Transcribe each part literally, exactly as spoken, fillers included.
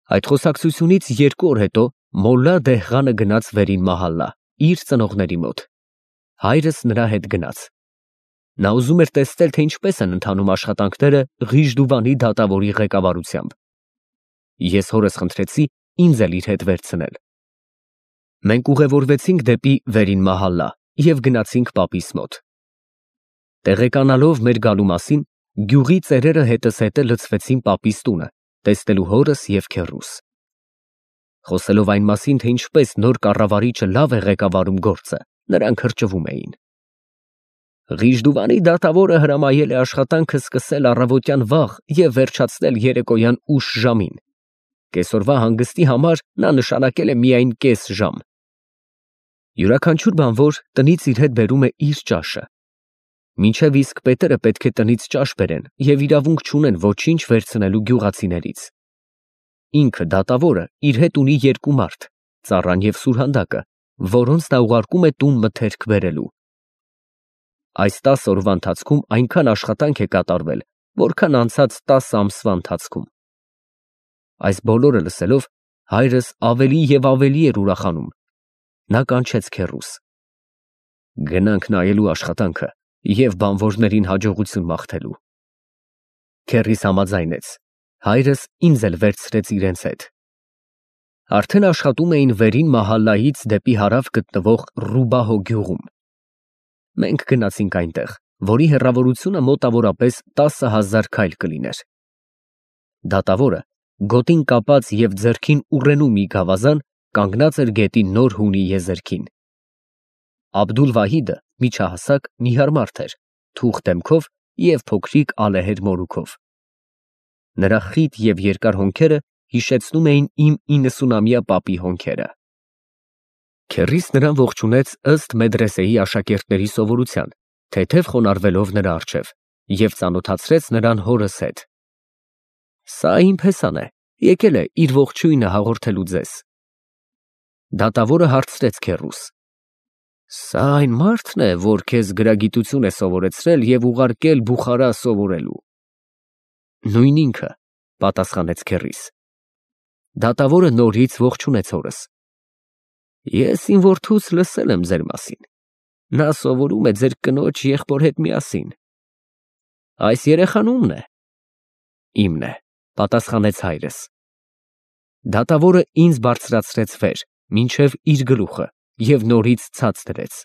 Այդ խոսակցությունից երկու օր հետո Մոլլա Դեհղանը գնաց վերին մահալա, իր ծնողների մոտ, հայրս նրա հետ գնաց. նա ուզում էր տեսնել, թե ինչպես են ընթանում աշխատանքները Ղիժդուվանի դատավորի ղեկավարությամբ։ Ես հորս խնդրեցի ինձ էլ իր հետ վերցնել։ Մենք ուղևորվեցինք դեպի վերին մահալա և գնացինք պապիս մոտ։ Տեղեկանալով մեր գալու մասին, գյուղի ծերերը հետս հետը լցվեցին պապիս տունը, տեսնելու հորս և քեռուս։ Խոսելով այն մասին, թե ինչպես նոր կառավարիչը լավ է ղեկավարում գործը, նրանք հրճվում էին։ Ղիժդուվանի դատավորը հրամայել է աշխատանքը սկսել առավոտյան վաղ և վերջացնել երեկոյան ուշ ժամին։ Կեսօրվա հանգստի համար նա նշանակել է միայն կես ժամ։ Յուրաքանչյուր բանվոր տնից իր հետ բերում է իր ճաշը։ Մինչև իսկ պետերը պետք է տնից ճաշ բերեն և իրավունք չունեն ոչինչ վերցնելու գյուղացիներից։ Ինքը դատավորը իր հետ ունի երկու մարդ, ծառան և սուրհանդակը, որոնց նա ուղարկում է տուն մթերք բերելու։ Այս տասը օրվա ընթացքում այնքան աշխատանք է կատարվել, որքան անցած տասը ամսվա ընթացքում։ Այս բոլորը լսելով, հայրս ավելի և ավելի էր ուրախանում։ Նա կանչեց քեռուս. գնանք նայելու աշխատանքը և բանվորներին հաջողություն մաղթելու։ Քեռիս համաձայնեց, հայրս ինձ էլ վերցրեց իրենց հետ։ Արդեն աշխատում էին վերին մահալայից դեպի հարավ գտնվող Ռուբահո գյուղում։ Մենք գնացինք այնտեղ, որի հեռավորությունը մոտավորապես տասը հազար քայլ կլիներ։ Դատավորը, գոտին կապած և ձեռքին ուռենու մի գավազան, կանգնած էր գետի նոր հունի եզերքին։ Աբդուլ֊Վահիդը միջահասակ, նիհար մարդ էր, թուխ դեմքով և փոքրիկ ալեհեր մորուքով։ Նրա խիտ և երկար հոնքերը հիշեցնում էին իմ իննսունամյա պապի հոնքերը։ Քեռիս նրան ողջունեց ըստ մեդրեսեի աշակերտների սովորության, թեթև խոնարհվելով նրա առջև, և ծանոթացրեց նրան հորս հետ։ Սա իմ փեսան է, եկել է իր ողջույնը հաղորդելու ձեզ։ Դատավորը հարցրեց քեռուս. Սա այն մարդն է, որ քեզ գրագիտություն է սովորեցրել և ուղարկել Բուխարա սովորելու։ Նույն ինքը, պատասխանեց քեռիս։ Դատավորը նորից ողջունեց հորս։ Ես իմ որդուց լսել եմ ձեր մասին։ Նա սովորում է ձեր կնոջ եղբոր հետ միասին։ Այս երեխան ո՞ւմն է։ Իմն է, պատասխանեց հայրս։ Դատավորը ինձ բարձրացրեց վեր, մինչև իր գլուխը, և նորից ցած դրեց։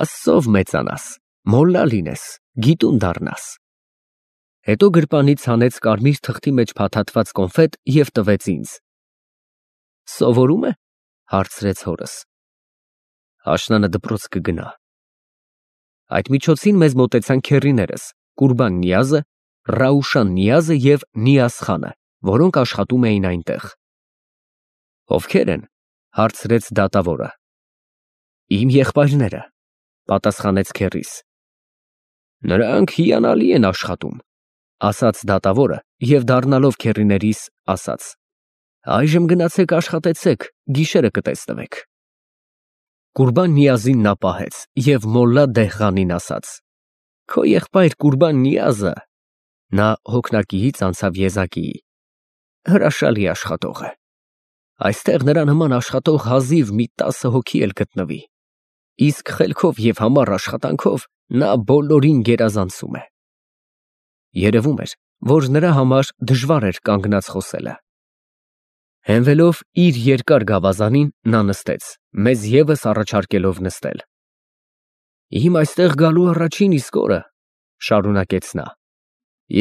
Աստծով մեծանաս, մոլլա լինես, գիտուն դառնաս։ Հետո գրպանից հանեց կարմիր թղթի մեջ փաթաթված կոնֆետ և տվեց ինձ։ Սովորում է, հարցրեց հորս։ Աշնանը դպրոց կգնա։ Այդ միջոցին մեզ մոտեցան քեռիներս Կուրբան Նիազը, Ռաուշան Նիազը և Նիազ խանը, որոնք աշխատում էին այնտեղ։ Ովքեր են, հարցրեց դատավորը։ Իմ եղբայրները, պատասխանեց քեռիս։ Նրանք հիանալի են աշխատում, ասաց դատավորը և դառնալով քեռիներիս ասաց. Այժմ գնացեք աշխատեցեք, գիշերը կտեսնվեք։ Կուրբան Նիազին նա պահեց և Մոլլա Դեհղանին ասաց. Քո եղբայր Կուրբան Նիազը, նա հոգնակիից անցավ եզակիի, հրաշալի աշխատող է։ Այստեղ նրա նման աշխատող հազիվ մի տասը հոգի էլ կգտնվի, իսկ խելքով և համառ աշխատանքով նա բոլորին գերազանցում է։ Երևում էր, որ նրա համար դժվար էր կանգնած խոսելը։ Հենվելով իր երկար գավազանին, նա նստեց, մեզ ևս առաջարկելով նստել։ Իմ այստեղ գալու առաջին իսկ օրը, շարունակեց նա,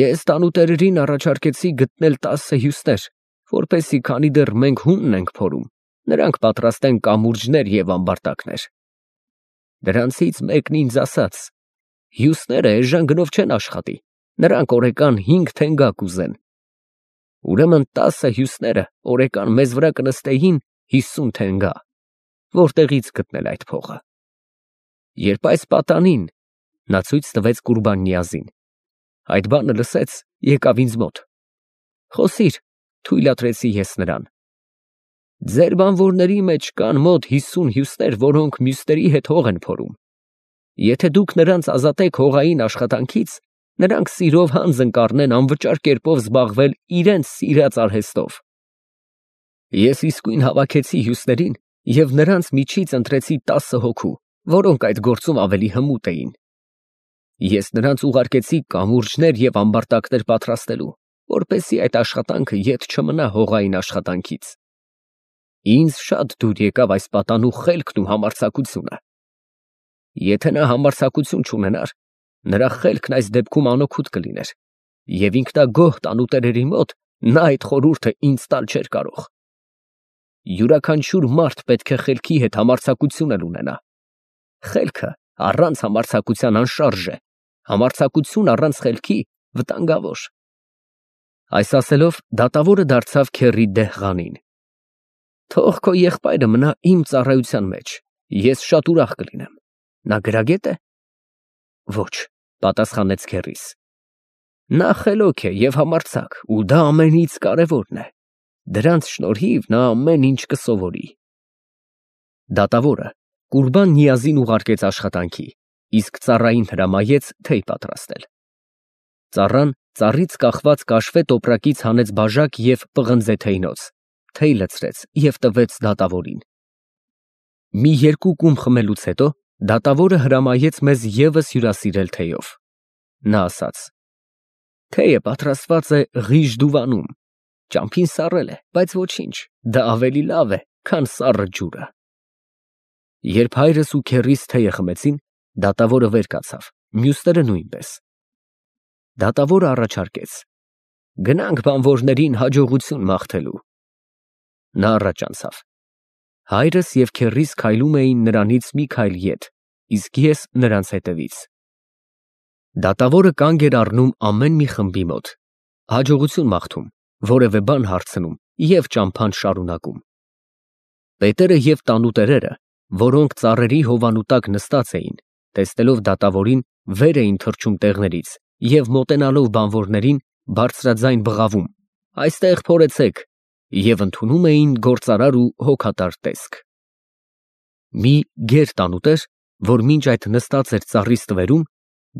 ես տանուտերերին առաջարկեցի գտնել տասը հյուսներ, որպեսզի քանի դեռ մենք հունն ենք փորում, նրանք պատրաստեն կամուրջներ և ամբարտակներ։ Դրանցից մեկն ինձ ասաց. հյուսները էժան գնով չեն աշխատի, նրանք օրեկան հինգ թենգա կուզեն։ Ուրեմն տասը հյուսները օրեկան մեզ վրա կնստեին հիսուն թենգա, որտեղի՞ց գտնել այդ փողը։ Երբ այս պատանին, նա ցույց տվեց Կուրբան Նիազին, այդ բանը լսեց, եկավ ինձ մոտ։ Խոսիր, թույլատրեցի ես նրան։ Ձեր բանվորների մեջ կան մոտ հիսուն հյուսներ, որոնք մյուսների հետ հող են փորում։ Եթե դուք նրանց ազատեք հողային աշխատանքից, նրանք սիրով հանձն կառնեն անվճար կերպով զբաղվել իրենց սիրած արհեստով։ Ես իսկույն հավաքեցի հյուսներին և նրանց միջից ընտրեցի տասը հոգու, որոնք այդ գործում ավելի հմուտ էին։ Ես նրանց ուղարկեցի կամուրջներ և ամբարտակներ պատրաստելու, որպեսզի այդ աշխատանքը ետ չմնա հողային աշխատանքից։ Ինձ շատ դուր եկավ այս պատանու խելքն ու համարձակությունը։ Եթե նա համարձակություն չունենար, նրա խելքն այս դեպքում անօգուտ կլիներ, և ինքնագոհ տանուտերերի մոտ նա այդ խորհուրդը ինձ տալ չէր կարող։ Յուրաքանչյուր մարդ պետք է խելքի հետ համարձակություն էլ ունենա։ Խելքը առանց համարձակության անշարժ է, համարձակություն առանց խելքի վտանգավոր։ Այս ասելով դատավորը դարձավ քեռի Դեհղանին։ Թող քո եղբայրը մնա իմ ծառայության մեջ, ես շատ ուրախ կլինեմ։ Նա գրագե՞տ է։ Ոչ, պատասխանեց քեռիս։ Նա խելոք է և համարձակ, ու դա ամենից կարևորն է։ Դրանց շնորհիվ նա ամեն ինչ կսովորի։ Դատավորը Կուրբան֊Նիազին ուղարկեց աշխատանքի, իսկ ծառային հրամայեց թեյ պատրաստել։ Ծառան ծառից կախված կաշվե տոպրակից հանեց բաժակ և պղնձե թեյնոց, թեյ լցրեց և տվեց դատավորին։ Մի երկու կում խմելուց հետո դատավորը հրամայեց մեզ ևս հյուրասիրել թեյով։ Նա ասաց. Թեյը պատրաստված է ղիժ դուվանում, ճամփին սառել է, բայց ոչինչ, դա ավելի լավ է, քան սառը ջուրը։ Երբ հայրս ու քեռիս թեյը խմեցին, դատավորը վեր կացավ, մյուսները նույնպես։ Դատավորը առաջարկեց. Գնանք բանվորներին հաջողություն մաղթելու։ Նա առաջ անցավ։ Հայրս և քեռիս քայլում էին նրանից մի քայլ ետ, իսկ ես նրանց հետևից։ Դատավորը կանգ էր առնում ամեն մի խմբի մոտ, հաջողություն մաղթում, որևէ բան հարցնում և ճամփան շարունակում։ Պետերը և տանուտերերը, որոնք ծառերի հովանու տակ նստած էին, տեսնելով դատավորին, վեր էին թռչում տեղներից և մոտենալով բանվորներին, բարձրաձայն բղավում. Այստեղ փորեցեք, և ընդունում էին գործարար ու հոգատար տեսք։ Մի գեր տանուտեր, որ մինչ այդ նստած էր ծառի ստվերում,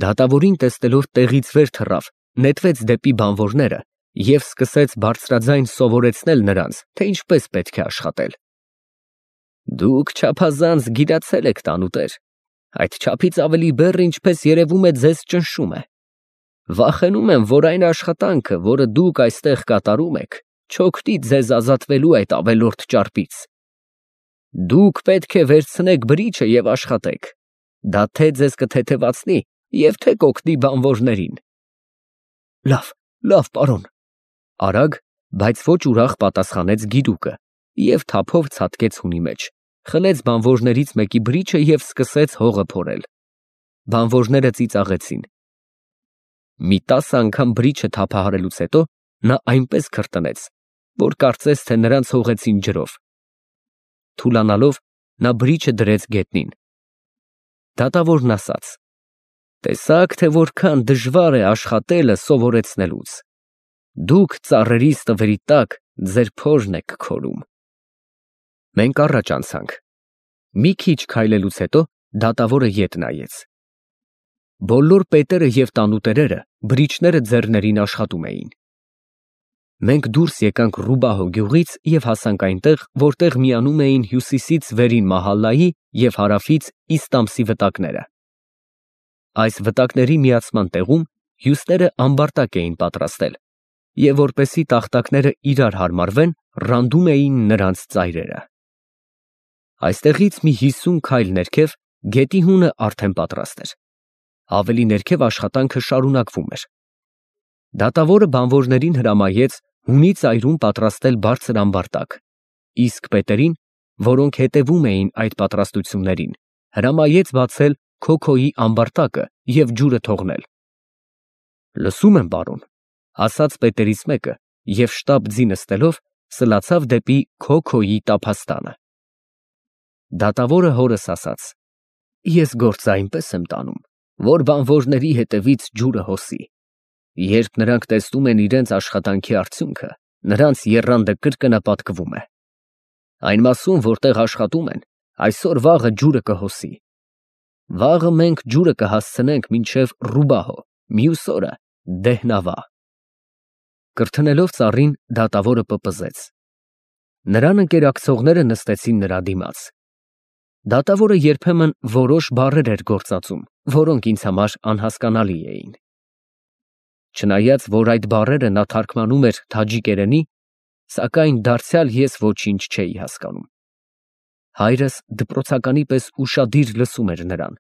դատավորին տեսնելով տեղից վեր թռավ, նետվեց դեպի բանվորները և սկսեց բարձրաձայն սովորեցնել նրանց, թե ինչպես պետք է աշխատել։ Դուք չափազանց գիտացել եք, տանուտեր, այդ չափից ավելի բեռը, ինչպես երևում է, ձեզ ճնշում է։ Վախենում եմ, որ այն աշխատանքը, որը դուք այստեղ կատարում եք, չօգնի ձեզ ազատվելու այդ ավելորդ ճարպից։ Դուք պետք է վերցնեք բրիչը և աշխատեք։ Դա թե ձեզ կթեթևացնի և թե կօգնի բանվորներին։ Լավ, լավ, պարոն, արագ, բայց ոչ ուրախ պատասխանեց գիրուկը և թափով ցատկեց հունի մեջ, խլեց բանվորներից մեկի բրիչը և սկսեց հողը փորել։ Բանվորները ծիծաղեցին։ Մի տասը անգամ բրիչը թափահարելուց հետո նա այնպես քրտնեց, որ կարծես թե նրանց հողեցին ջրով։ Թուլանալով նա բրիչը դրեց գետնին։ Դատավորն ասաց. Տեսաք, թե որքան դժվար է աշխատելը սովորեցնելուց։ Դուք ծառերի ստվերի տակ ձեր փորն եք քորում։ Մենք առաջ անցանք։ Մի քիչ քայլելուց հետո դատավորը ետ նայեց։ Բոլոր պետերը և տանուտերերը բրիչները ձեռներին աշխատում էին։ Մենք դուրս եկանք Ռուբահո գյուղից և հասանք այնտեղ, որտեղ միանում էին հյուսիսից վերին Մահալայի և հարավից Իստամսի վտակները։ Այս վտակների միացման տեղում հյուսները ամբարտակ էին պատրաստել և որպեսզի տախտակները իրար հարմարվեն, ռանդում էին նրանց ծայրերը։ Այստեղից մի հիսուն քայլ ներքև գետի հունը արդեն պատրաստ էր։ Ավելի ներքև աշխատանքը շարունակվում էր։ Դատավորը բանվորներին հրամայեց հունի ծայրում պատրաստել բարձր ամբարտակ, իսկ պետերին, որոնք հետևում էին այդ պատրաստություններին, հրամայեց բացել Քոքոյի ամբարտակը և ջուրը թողնել։ Լսում եմ, պարոն, ասաց պետերից մեկը և շտապ ձի նստելով սլացավ դեպի Քոքոյի տափաստանը։ Դատավորը հորս ասաց. Ես գործը այնպես եմ տանում, որ բանվորների հետևից ջուրը հոսի։ Երբ նրանք տեսնում են իրենց աշխատանքի արդյունքը, նրանց եռանդը կրկնապատկվում է։ Այն մասում, որտեղ աշխատում են, այսօր֊վաղը ջուրը կհոսի։ Վաղը մենք ջուրը կհասցնենք մինչև Ռուբահո, մյուս օրը Դեհնավա։ Կրթնելով ծառին, դատավորը պպզեց. Նրան ընկերակցողները նստեցին նրա դիմաց։ Դատավորը երբեմն որոշ բառեր էր գործածում, որոնք ինձ համար անհասկանալի էին։ Չնայած որ այդ բառերը նա թարգմանում էր թաջիկերենի, սակայն դարձյալ ես ոչինչ չէի հասկանում։ Հայրս դպրոցականի պես ուշադիր լսում էր նրան։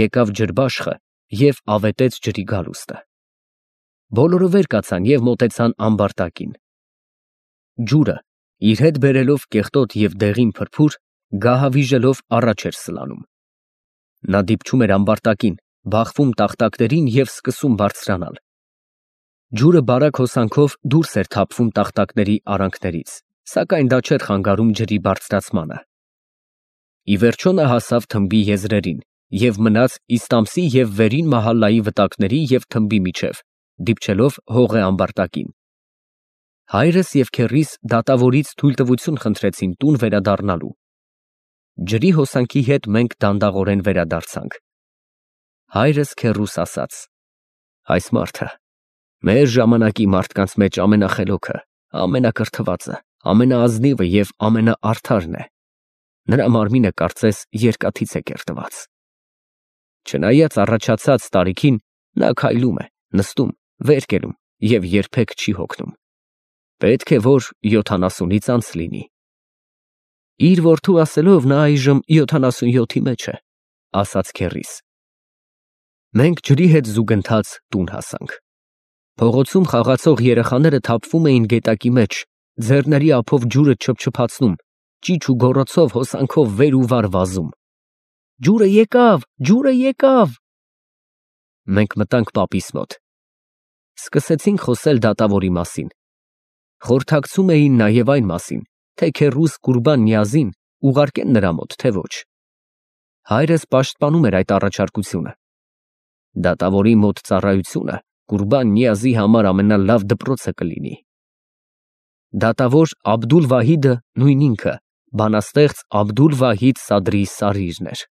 Եկավ ջրբաշխը և ավետեց ջրի գալուստը։ Բոլորը վեր կացան և մոտեցան ամբարտակին։ Ջուրը, իր հետ բերելով կեղտոտ և դեղին փրփուր, գահավիժելով առաջ էր սլանում։ Նա դիպչում էր ամբարտակին, բախվում տախտակներին և սկսում բարձրանալ։ Ջուրը բարակ հոսանքով դուրս էր թափվում տախտակների արանքներից, սակայն դա չէր խանգարում ջրի բարձրացմանը։ Ի վերջո նա հասավ թմբի եզրերին և մնաց Իստամսի և Վերին Մահալայի վտակների և թմբի միջև, դիպչելով հողե ամբարտակին։ Հայրս և քեռիս դատավորից թույլտվություն խնդրեցին տուն վերադառնալու։ Ջրի հոսանքի հետ մենք դանդաղորեն վերադարձանք։ Հայրս քեռուս ասաց. «Այս մարդը մեր ժամանակի մարդկանց մեջ ամենախելոքը, ամենակրթվածը, ամենաազնիվը և ամենաարդարն է։ Նրա մարմինը կարծես երկաթից է կերտված։ Չնայած առաջացած տարիքին, նա քայլում է, նստում, վեր կենում և երբեք չի հոգնում։ Պետք է որ յոթանասունից անց լինի»։ Իր որդու ասելով, նա այժմ յոթանասունյոթի մեջ է, ասաց քեռիս։ Մենք ջրի հետ զուգընթաց տուն հասանք։ Փողոցում խաղացող երեխաները թափվում էին գետակի մեջ, ձեռների ափով ջուրը չփչփացնում, ճիչ ու գոռոցով հոսանքով վեր ու վար վազում։ Ջուրը եկավ, ջուրը եկավ։ Մենք մտանք պապիս մոտ։ Սկսեցինք խոսել դատավորի մասին։ Խորհրդակցում էին նաև այն մասին, թե քեռուս Կուրբան Նիազին ուղարկեն նրա մոտ, թե ոչ։ Հայրս պաշտպանում էր այդ առաջարկությունը։ Դատավորի մոտ ծառայությունը Կուրբան Նիազի համար ամենալավ դպրոցը կլինի։ Դատավոր Աբդուլ֊Վահիդը նույն ինքը, բանաստեղծ Աբդուլ֊Վահիդ Սադրի Սարիրն էր։